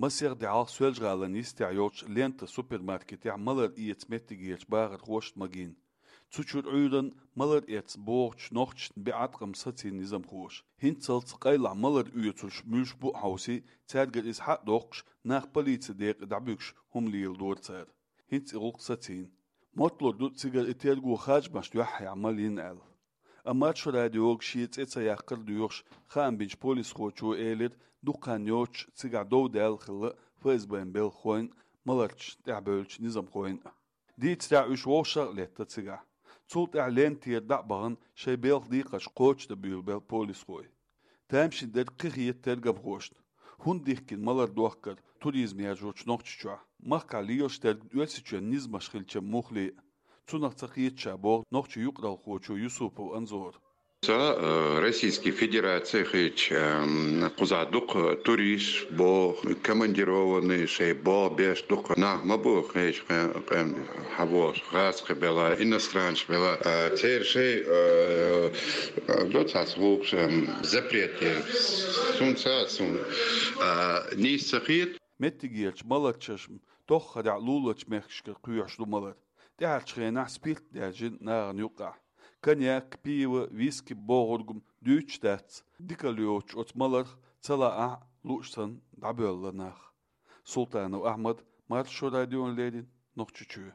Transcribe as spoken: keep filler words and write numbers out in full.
Масех де хьалха Соьлжа-ГӀалин йистехь йолчу «Лента» супермаркетехь малар эца меттигерчу бахархошна магийна. Цу чуьра Ӏуьйранна малар эцна богӀучу нохчашна биъ Ӏаткъам сацийна низамхоша. ХӀинццалц къайлаха малар оьцурш муьлш бу а хьовсий, цаьргара иза схьа а доккхуш, нах полицин декъе дӀабуьгуш хӀума леладора цара. ХӀинца и гӀуллакх сацийна. Мотталур ду цигара и терго харжамашна юьхь яхьа мала йина аьлла. Амма Маршо радиога шен цӀе ца яккхар а доьхуш, хаам бинчу полисхочо элира, дукха хан йоцуш цигахь дов даьлла хилла ФСБ-н белхахойн а, маларчашна тӀаьхьабевллачу низамхойн а. Дийцарехь, уьш вовшах а летта цигахь. Цул тӀаьхьа «Лентера» дӀа а бахана, шайн белхан декхарш кхочушдан буьйлабелла полисхой. Тамашийна дерг кхин хета тергамхошна. ХӀунда дихкина малар дохкар туризм яржочу Нохчийчохь? Махкахь лелаш дерг Оьрсийчоьнан низамаш хилча муххале а? Цунах ца кхета ша, боху нохчийн юкъаралхочо Юсупов Анзора. Ца, э, Российский Федераци хилча, эм, кхузахь дукха туристаш бо, командированный, шайн бо беш дукха нах ма бу, хьешан къем хьавош, гӀазкхи бела, иностранцаш бела. А, церан шайн, э, э, до цхьацца гӀуллакхаш, эм, запрет е, сунца, сун, а, нийса ца хета. Меттигерчу маларчашна тоххарехь луларчу мехкашкара кхоьхьуш ду малар. ТӀаьхьарчу хенахь спирт даьржина нахана юккъехь. Коньяк, пиво, виски бохург-м дуьйцуш дац. Дикалла йоцуш оцу маларх ца лаахь а, лууш санна дӀабоьлла нах. Султанов Ахьмад, Маршо радиона леррина, Нохчийчоь.